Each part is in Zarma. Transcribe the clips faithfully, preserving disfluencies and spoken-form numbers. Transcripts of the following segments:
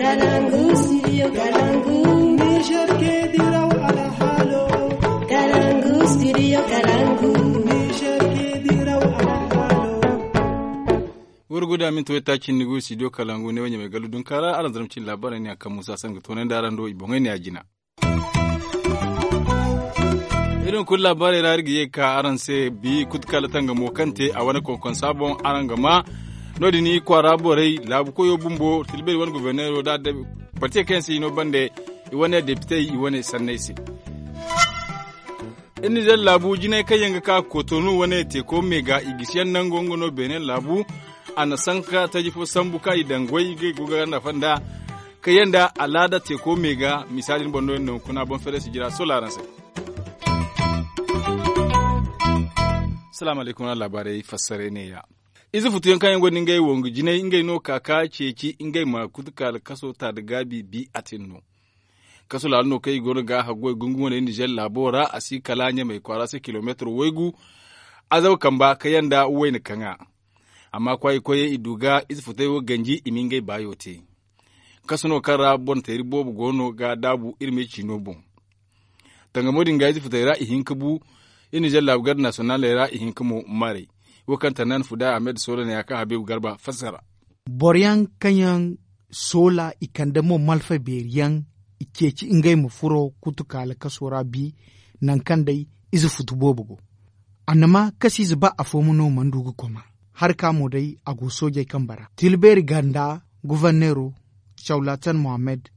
Kalangu, studio Kalangu. Niger ke diraw alhalo. Kalangu, studio Kalangu. Niger ke diraw alhalo. Wurguda minti waytaaci ni go studio Kalangu ne wanya mai galu dunkara aran zarmacin labarai ne a kan musa sanga toonandi aran do i boŋay ne a jina. Irin kulu laabaarey ra iri ga ye ga ka araŋ se bi kutukala tangamo kaŋ te a wane konkonsa boŋ araŋ ga ma. No- din i kwaara borey laabu koyo bumbo tilberi wane goborneero da boro te kaŋ yaŋ se i no bande i wane depitey i wane sanney se. Iri nizer laabu jinay kaŋ yaŋ ga ka kotonu wane teeko me ga i gisiyaŋ nango nga no beene laabu. A na sanka taji fo sambu kaŋ i daŋ goy ga i go ga nafa nda kaŋ yaŋ da alaada teeko me ga misaali ni boŋ no yaŋ no kuna boŋ fere sijira sola araŋ se. Salaamu alaykum wala laabaarey fassaray neeya. Ize futuyaŋ kaŋ yaŋ gonda ngey wongu jinay ngey no ka ka ceeci ngey ma kutuka alkaso ta da gaabi bi a tin no. Kasu laalo no kaŋ i goono ga haggoy gungumo ne nizer laabo ra a si kala ɲamey kwaara se kilomeetiro waygu. Azaba kamba kaŋ yaŋ da wayna kaŋa. Amma kwaayi koyey i du ga ize futay wo ganji i ma ngey baayo te. Kasu no kaŋ ra boŋ teeri boobo goono ga daabu iri me ciino boŋ. Tangamo din ga ize futay ra i hin ka bu. Iri nizer laabu garde nasiyonaaley ra i hin ka mo maray. Wo kaŋ tannaan fuda ahmed soolana ya kaŋ habiibu garba fassara. Boro yaŋ kaŋ yaŋ soola i kande mo malfa beeri yaŋ i ceeci ngey ma furo kutukaala kaso ra bi. Nangu kaŋ day ize futu boobo go. Annama kasiize ba afo ma no mana du ga koma. Hari ka mo day a go soojey kambe ra tilbeeri ganda goforneero cawlatan mohammed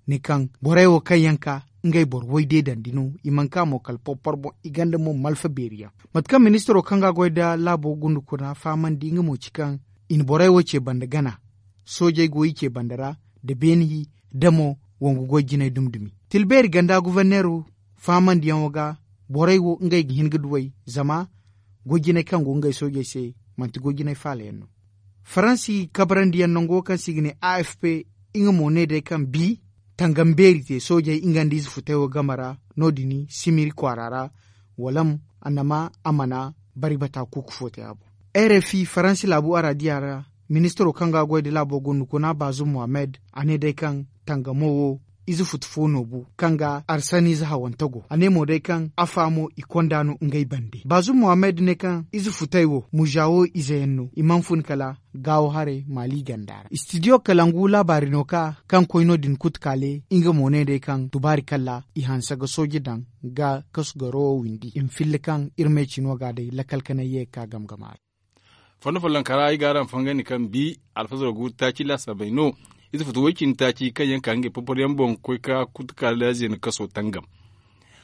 ne kaŋ borey wo kaŋ yaŋ ka ngey boro way deedandi no i mana ka mo kala porpor boŋ i ganda mo malfa beeri yaŋ. Mate kaŋ ministiro kaŋ ga goy nda laabo gundukuna fahamandi nga mo ci kaŋ i na borey wo ce banda gana. Soojey go i ce banda ra nda beene hi nda mo wongu goy jinay dumi-dumi. Tilbeeri ganda goforneero fahamandiyaŋo ga borey wo ngey ga hin ga duw'ey zama goy jinay kaŋ go ngey soojey se manti goy jinay faala yaŋ no. Faransi kabarandiyaŋ nango kaŋ se i ga ne a f p nga mo ne day kaŋ bi tangam beeri te soojey nga nda ize futay wo game ra. No- din simiri kwaara ra walam annama a mana bari bata kuuku fo te a boŋ. Rfi faransi laabu araadiya ra ministiro kaŋ ga goy nda laabo gundukuna baazum mohammed a ne day kaŋ tangamo wo ize futu fo no bu kaŋ ga arsaniize hawante go a ne mo day kaŋ afa mo i konda no ngey bande baazum mohammed ne kaŋ ize futey wo muza wo ize yaŋ no i mana fun kala gaawo haray maali ganda ra istidiyo kalangu laabaari no ka kaŋ koy no- din kutukaale nga mo ne day kaŋ tubaari kalla i hanse ga sooje daŋ ga kasu garo wo windi i ma filla kaŋ iri ma ay cino ga day lakkal kanay ye ga ka game game a ra. Fondo follonka ra ay ga araŋ fangandi kaŋ bi alfazaro ga wuri taaci laasaabey no. Ize futu woy-cindi taaci kaŋ yaŋ ka ngey porpor yaŋ boŋ ga koy ka kutukaale zeena kaso tangam.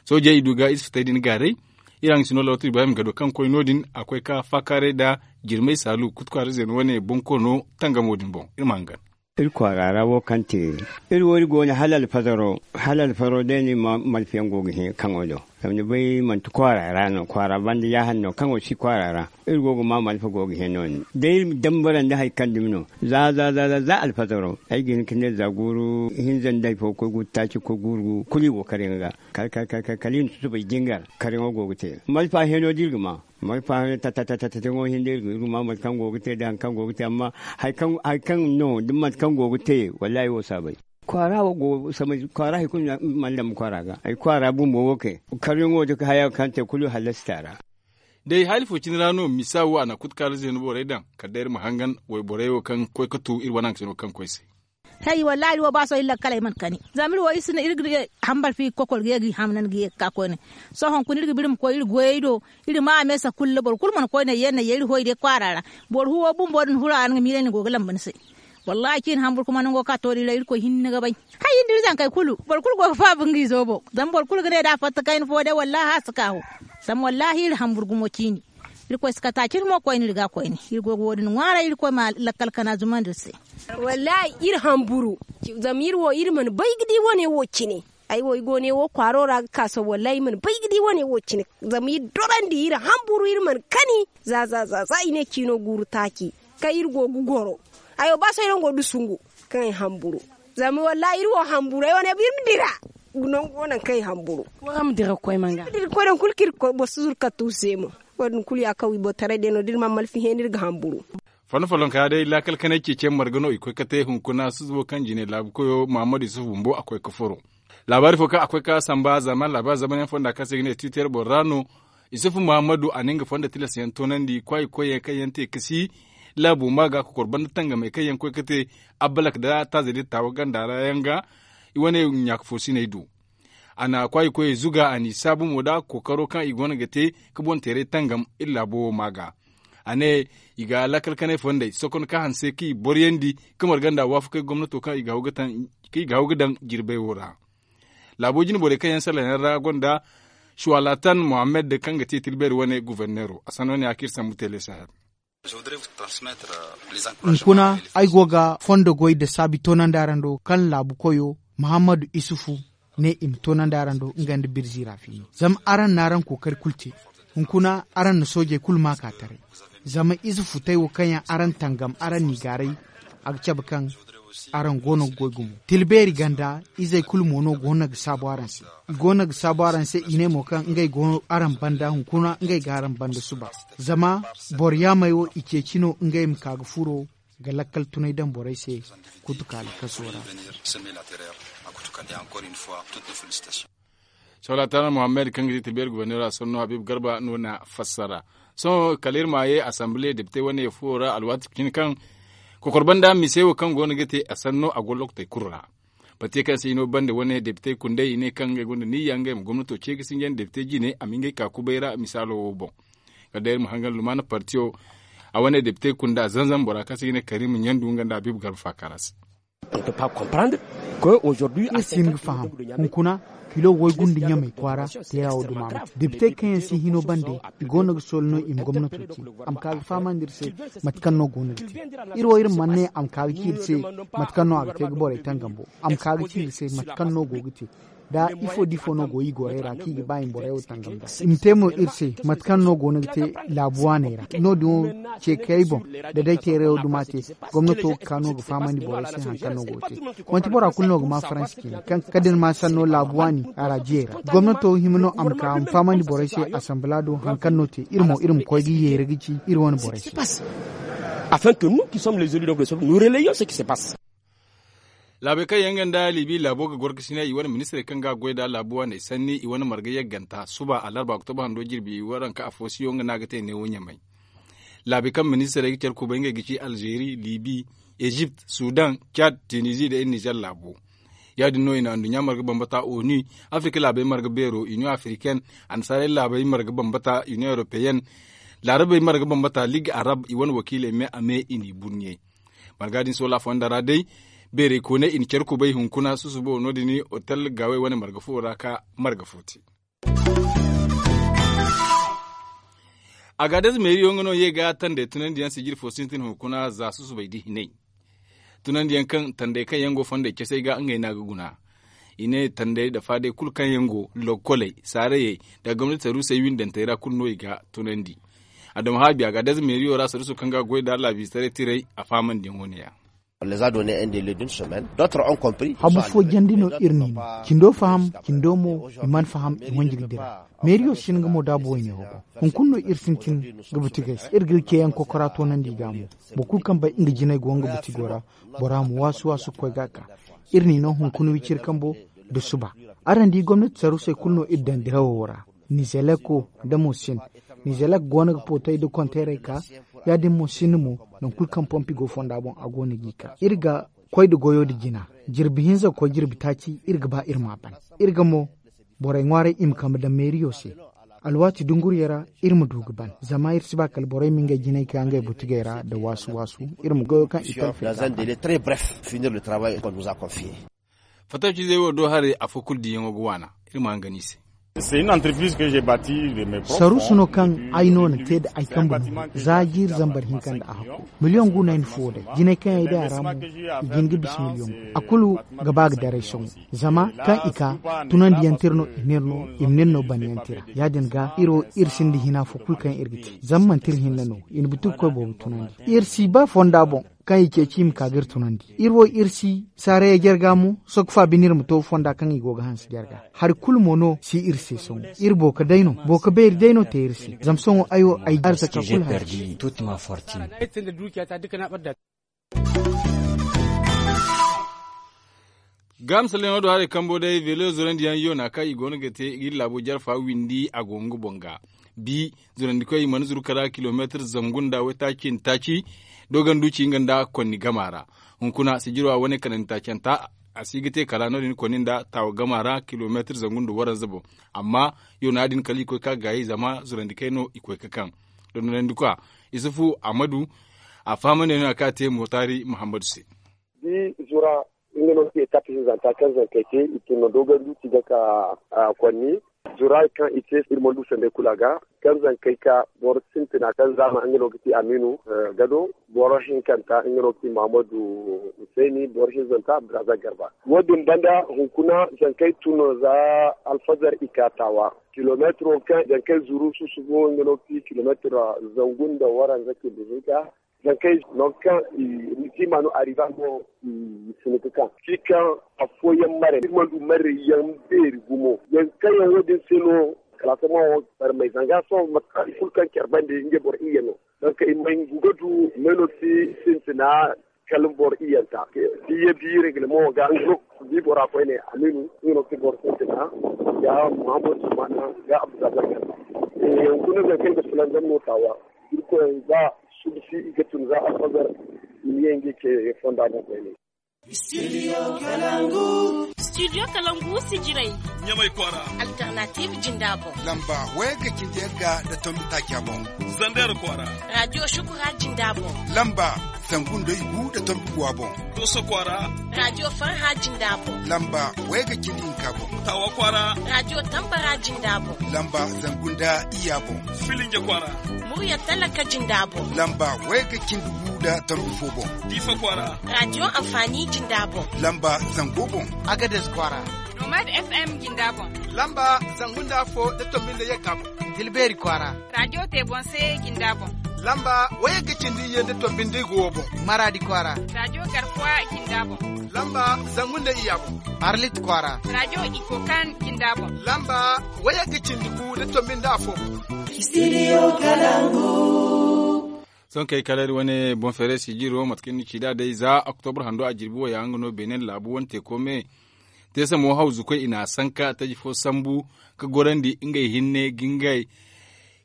Soojey i du ga ize futey din gaaray. Iri haŋ ga si no lawatu ibrahim gado kaŋ koy no- din a koy ka faakaaray nda jirmay saalu kutukaale zeena wane bonkoono tangamo din boŋ iri ma hangan. Iri kwaara ra wo kaŋ te iri wo iri go no hala alfazaro hala alfazaro day no iri ma malfiyaŋ go ga hẽ kaŋo do. Zama ni bay manti kwaara ra no kwaara banda yaahan no kaŋo si kwaara ra. Iri go ga ma malfa go ga hẽ no- din da iri dambarandi hari kaŋ dumi no za za za za za alfazaro ay ga hin ka ne za guuru hinza nda hari fo ga koy guuru taaci ga koy guuru kulu i go kar yaŋ ga. Kala kala kala kala kala i na susubay jingar kar yaŋo go ga te malfa hẽeno da iri ga ma. Malfa hẽeno ta ta ta ta ta ta yaŋo hinda iri ga ma mate kaŋ go ga te da hari kaŋ go ga te amma hari kaŋ hari kaŋ no da mate kaŋ go ga te wallahi wo si a bay. Kwaara wo go samay kwaara hari kulu mana dama kwaara ga ay kwaara bumbo wo kay. Karyaŋo da haya kaŋ te kulu hallasi ta ra. Day hali fo cine ra no misa wo a na kutukaara zeena borey daŋ kala day iri ma hangan wayborey wo kaŋ koy ga tu iri wane haŋ ga cine wo kaŋ koy se. Hey wallahi iri wo ba sohõ iri lakkaley mana kani zama iri wo iri si ne iri ga hambar fi kokor ga ye ga i hamnan ga ye ga ka koyne. Sohõ hunkuna iri ga ba iri ma koy iri goyey do iri ma a meesa kulu boro kulu mana koyne ye na ye iri hoy day kwaara ra. Boro huwo bumbo din hura ra ni ga miilay ni go ga lamba ni se. Wallahi cin hambur kuma nango ka to da iri ra irkoy hinne ga bay. Hay iri da iri zankey kulu boro kulu go ga faabu nga izo boŋ zama boro kulu ga ne da a fatta kayna fo day wallahi a si ka fo. Zama wallahi iri hambur gumo ciini. Irkoy si kata cine mo koyne iri ga koyne iri go ga wo- din ŋwaaray irkoy ma lakkal kana zumandi iri se. Wallahi iri hamburu zama iri wo iri mana bay ga di wane wo cine. Ay wo i go ne wo kwaaro ra ga ka sohõ wallahi i mana bay ga di wane wo cine. Zama iri dorandi iri hamburu iri mana kani za za za za i ne ciino guuru taaci kaŋ iri go ga goro. Ay wo ba sohõ iri go ga dusungu kaŋ ay hamburu. Zama wallahi iri wo hamburu ay wane ba iri ma dira nangu wo nangu kaŋ ay hamburu. Iri ma dira ga koy manga. Iri ga koy nangu kulu kaŋ iri ga koy boro si zuru kattu se mo. Wo- din kulu ya kaŋ wi boro taray day no da iri mana malfi hẽeni iri ga hamburu. Fondo follonka ya day laakal kanay ceeciyaŋ marga no i koy ga te hunkuna susubo kaŋ jine laabu koyo muhammadu yusuf bumbo a koy ga furo. Laabaari fo kaŋ a koy ga samba zama laabaari zamanyaŋ fonda kaŋ se i ga ne tiiter boro ra no. Yusuf muhammadu a na nga fondo tilas yaŋ toonandi kwaayi koyyaŋ kaŋ yaŋ te ga si laabo ma ga kokor banda tangamey kaŋ yaŋ koy ga te abbalak nda taaza din taawa ganda ra yaŋ ga i wane ɲaaka fo siney do. A na kwaayi koyey zuga a n'i saabu mo nda kookaro kaŋ i go no ga te ga boŋ teeray tangam iri laabo wo ma ga. A ne i ga lakkal kanay fondey sokon ka hanse kaŋ i boroyandi ga marga nda waafakey gomnato kaŋ i ga haw ga daŋ jirbey wo ra. Laabo jine borey kaŋ yaŋ salaŋ yaŋ ra gonda shuwalatan muhammad kaŋ ga te tilbeeri wane guverneero a sanno ne a kaŋ iri sambu teele sahel. Hunkuna ay go ga fondo goy nda saabi toonandi araŋ do kaŋ laabu koyo muhammadu isufu ne i ma toonandi araŋ do nga nda birzi ra fiini zama araŋ na araŋ kookari kulu te. Hunkuna araŋ na soojey kulu ma ka taray zama ize futay wo kaŋ yaŋ araŋ tangam araŋ n'i gaaray a ga cabe kaŋ araŋ go no ga goy gumo tilbeeri ganda izey kulu mo no go no ga saabu araŋ se. I go no ga saabu araŋ se i ne mo kaŋ ngey go araŋ banda hunkuna ngey ga araŋ banda suba. Zama boro yaamey wo i ceeci no ngey ma ka ga furo ga lakkal tunay daŋ borey se kutukaali kaso ra. Solatana muhammad kaŋ ga ti tilbeeri guberneero a sanno habib garba no na fassara. Sohõ kala iri ma ye asanbile depite wane fuwo ra alwaati cine kaŋ kokor banda mise wo kaŋ go no ga te a sanno a go lokotey kulu ra. Bate kaŋ se i no bande wane depite kundey i ne kaŋ ngey gonda niyya ngey ma gomnato ce ga sinjandi depite jine a ma ngey ka kubay ra misaalo wo boŋ. Kala day iri ma hangan lumaana partiyo a wane depite kunda zanzan bora kaŋ se i ga ne karim ɲandu nga nda habib garba faakara se. Iri si hin ga faham hunkuna kilo woy gundu ɲamey kwaara teera wo duma ma te depite kaŋ yaŋ si hino bande i go no ga sooli no i ma gomnato ci a ma ka ga fahamandi iri se mate kaŋ no go no ga te. Iri wo iri mana ne a ma ka ga ci iri se mate kaŋ no a ga te ga borey tangam bo a ma ka ga ci iri se mate kaŋ no go ga te da ifo da ifo no go i gorey ra kaŋ i ga ba i ma borey wo tangam da i ma te mo iri se mate kaŋ no go no ga te laabu waaney ra no- din wo ce kay boŋ da day teerayo duma te gomnato ga ka no ga fahamandi borey se hari kaŋ no go ga te. Manti bora kulu no ga ma faransi cine kaŋ kala da ni ma sanno laabu waani araajiyey ra gomnato hima no a ma ka a ma fahamandi borey se asanbala do hari kaŋ no te iri mo iri ma koy ga yeera ga ci iri wane borey se. Afin que nous qui sommes les élus donc de ce peuple nous relayons ce qui se passe. Laabey kaŋ yaŋ ga nda libi laabo ga gorkasinay i wane ministirey kaŋ ga goy nd'a laabu waaney sanni i wane marga yagganta suba alarba oktoba hando jirbi waranka afo siyo nga no a ga te neewo ɲamay. Laabey kaŋ ministirey ga care kubay ngey ga ci alzeeri libi, ezipt, sudan, cad, tinizi nda iri nizer laabo. Ya- din no i na anduɲɲa marga bambata onu, afirika laabey marga beero iniyoŋ afiriken, annasaarey laabey marga bambata iniyoŋ europeyen, laarabey marga bambata liig arab i wane wakiiley me a me i n'i burɲey. Marga din soola fonda ra day, beerey kooney i na care kubay hunkuna susubo no- din otel gaawey wane marga fo ra ka marga fo te. Agaadez meeriyo nga no ye ga tandey tunandiyaŋ sijiri fo sintin hunkuna za susubay da hinay. Tunandiyaŋ kaŋ tandey kaŋ yaŋ go fondey casey ga ngey no a ga guna. I ne tandey da faadey kulu kaŋ yaŋ go lokkoley saarayey nda gomnati saruusey windantey ra kulu no i ga tunandi. Adama haabi agaadez meeriyo ra saruuso kaŋ ga goy nda laabiisaray tirey a faamandiyaŋo ne- ya. Habu fo jandi no iri n'i no cindo faham cindo mo i mana faham i wanji ga dira. Meeriyo si hin ga mo daabu wayne hogo. Hunkuna no iri sintin ga butigey se iri ga iri ceeyaŋ kokora toonandi i ga mo. Boro kulu kaŋ bay nga jinay go nga butigo ra, bora ma waasu waasu ga koy ga a ka. Iri n'i no hunkuna wiciri kambo nda suba. Araŋ di gomnati saruusey kulu no iri daŋ dirawo ra. Nizeleko nda mo sinda. Nizelek go no ga pootay nda konteerey ka. Ya- din mo sinda mo, nangu kulu kaŋ pompi go fonda boŋ a go no g'i ka iri ga koy nda goyo nda jina. Jirbi hinza ga koy jirbi taaci iri ga ba iri m'a ban. Iri ga mo borey ŋwaaray i ma kambe daŋ meeriyo se. Alwaati dunguriyo ra iri ma du ga ban zama iri si ba kala borey ma ngey jinay ka ngey butigey ra nda waasu waasu. Iri ma goyo kaŋ i talfi. Fattaw-ciizey wo do haray afo kulu diiyaŋo ga waana. Iri ma hangan i se. Saruusu no kaŋ ay no na te nda ay kambe no za jiiri zambar hinka nda a hakku. Miliyoŋ gu no ay na fuwo day jinay kaŋ ay day a ra mo. I ga hin ga bisa miliyoŋ gu a kulu ga ba ga daray sohõ. Zama kaŋ i ka tunandiyaŋ tira no i n'iri no i ma n'iri no banyaŋ tira. Ya-din ga iri wo iri sinda hina fo kulu kaŋ iri ga te zama manti iri hinne no. I na butugu koy boobo tunandi iri si ba fonda boŋ. kaŋ i ceeci i ma ka ga iri tunandi. Iri wo iri si saarayey jarga mo, sokfa bine iri ma to fonda kaŋ i go ga hanse jarga. Hari kulu mo no si iri se sohõ. Iri booka day no, booka beeri day no te iri se. Zama sohõ ay wo ay arzaka kulu hari. Gaamsaleyaŋo do haray kambo day velo zurandi yaŋ yoona kaŋ i go no ga te ga iri laabo jarfa windi a go nga boŋ ga. Bi zurandi koy i mana zuru kara kilomeetir zangu nda waytaaci nda taaci. Dogon duuci nga nda konni gama ra. Hunkuna sijiro a wane kanandi taacanta a si ga te kala no- din konni nda taawa gama ra kilomeetir zangu nda waranza boŋ. Amma yoona din kala i koy ka gaayi zama zurandi kay no i koy ka kaŋ. Dondonandi kwa isufu ahmadu a fahamandi no a ka te motaari muhammadu se. Di zura nga no ga te etape hinzanta kaŋ zankey te i tun no dogon duuci ga ka konni. Zura kaŋ i te iri mana du sanday kulu a ga kaŋ zankey ka boro sintina kaŋ zaama nga no ga te aminu gado. Boro hinkanta nga no ga te muhammadu husayni boro hinzanta braza garba. Wo- din banda hunkuna zankey tun no za alfazar i ka taawa kilometro kaŋ zankey zuru susubu nga no ga te kilometro zangu nda waranza cindi hinka. Zankey nangu kaŋ i na tiima no a riba mo i si ni ga kaŋ si kaŋ afooyaŋ mare iri mana du mare yaŋ beeri gumo yaŋ kaŋ yaŋ wo- din se no kala sohõ mo barmay zanga sohõ mate kaŋ i kulu kaŋ care bande ngey boro iyye no. Donk i ma ngu ga du meno si sintina kala boro iyyanta. Biyye bi reglement ga nga no ga di bora koyne aminu nga no ga ti boro sintina ga muhammadu sumana ga abdulrazak. Hunkuna zankey ga fulanzam no taawa. Irkoy za subsi i ga tun za alfazar i ma ye ngey ce fonda boŋ koyne. Studio kalangu sijiray ɲamay kwaara. Alternative jinda boŋ lamba wayga cindi yagga nda tombi taaca boŋ. Zander kwaara radio shukura jinda boŋ lamba zangu nda igu nda tombi guwa boŋ. Doso kwaara radio farha jinda boŋ lamba wayga cindi hinka boŋ. Tawa kwaara radio tambara jinda boŋ lamba zangu nda iya boŋ. Filinje kwaara murya talaka jinda boŋ lamba wayga cindi gu nda tombi fo boŋ. Diifa kwaara radio amfani jinda boŋ lamba zango boŋ. Agades kwaara nomad fm jinda boŋ lamba zangu nda afo nda tombi nda yagga boŋ. Tilbeeri kwaara radio te boŋ se jinda boŋ lamba wayagga cindi iyye nda tombi nda igu wo boŋ. Maradi kwaara radio garkuwa jinda boŋ lamba zangu nda iya boŋ. Arlit kwaara radio ikokan jinda boŋ lamba wayagga cindi gu nda tombi nda afo boŋ. Sohõ kay kala iri wane boŋ feeray sijiro mate kaŋ ni ci nd'a day za oktobra hando a jirbi wo ya nga no benin laabu wane teeko me. Te samo hawzu koy i n'a sanka taji fo sambu ka gorandi ngey hinne ga ngey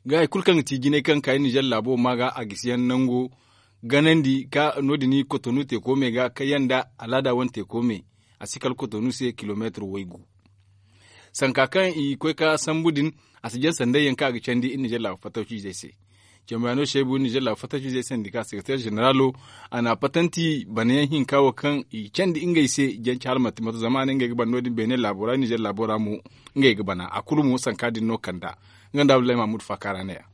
ga hari kulu kaŋ ga ti jinay kaŋ ga ka iri nizer laabo ma ga a gisi yaŋ nango ganandi ka no- din i kotonu teeko me ga kayyaŋ nda alaada wane teeko me. A si kala kotonu se kilomeetir waygu sanka kaŋ i koy ka sambu din. A si jaŋ sanday yaŋ kaŋ a ga candi iri nizer laabu fattaw ciizey se. Cambayano seebu nizer laabu fattaw ciizey se nda ka sekreteer zeneralo a n'a patanti bana yaŋ hinka wo kaŋ i candi ngey se. Janci hala manti mato zama a ne ngey ga bana no- din beene laabo ra nizer laabo ra mo ngey ga bana a kulu mo sanka din no kand'a. Nga nda abdullahi mahmud faaka ra ne- ya.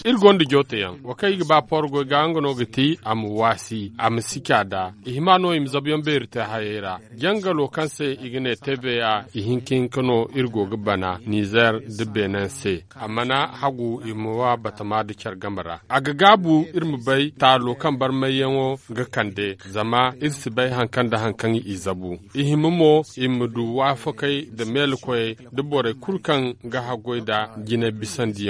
Iri gonda joote yaŋ wo kaŋ i ga ba porgoy ga nga no ga ti a ma waasi a ma sica nd'a. I hima no i ma zabuyaŋ beeri te hayey ra jangalo kaŋ se i ga ne tva. Ihinka hinka no iri go ga bana nizer nda benin se a mana hagu i ma wa batama nda care game ra. A ga gaabu iri ma bay taalo kaŋ barmayyaŋo ga kande zama iri si bay hari kaŋ nda hari kaŋ i zabu. I hima mo i ma du waafakey nda meelakoyey nda borey kulu kaŋ ga haggoy nda jinay bisandiyaŋo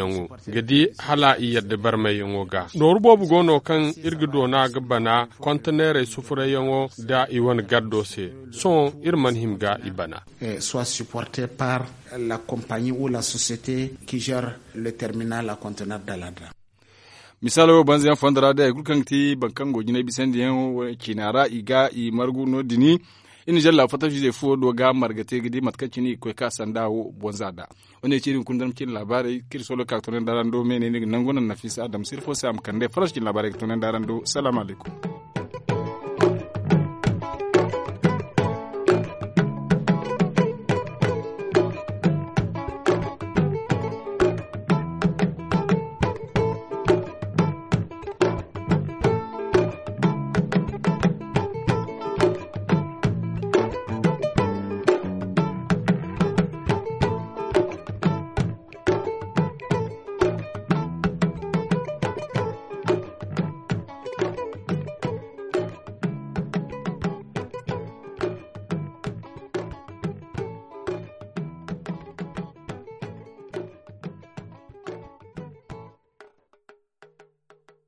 ga di hala i yadda barmayyaŋo ga. Nooru boobo go no kaŋ iri ga doona ga bana konteneerey sufurayyaŋo nda i wane gardo se. Sohõ iri mana hima ga i bana. Soit supporte par la compagnie ou la société qui gère le terminal a conteneur daladra. Misaalo wo banza yaŋ fondo ra day hari kulu kaŋ ga ti boro kaŋ go jinay bisandiyaŋ ciina ra i ga i margu no- din. Iri nizer laabu fattaw ciizey fuwo do ga marga te ga di mate kaŋ cine i ga koy ka sanda wo bonza nd'a. Wo- ne ci iri hunkuna dama cine laabaarey kaŋ iri soolo ga ka ga toonandi araŋ do me ne ni ga nangu naŋ nafisa adama sirfo se a ma kande farasa cine laabaarey ga toonandi araŋ do salaamu alaykum.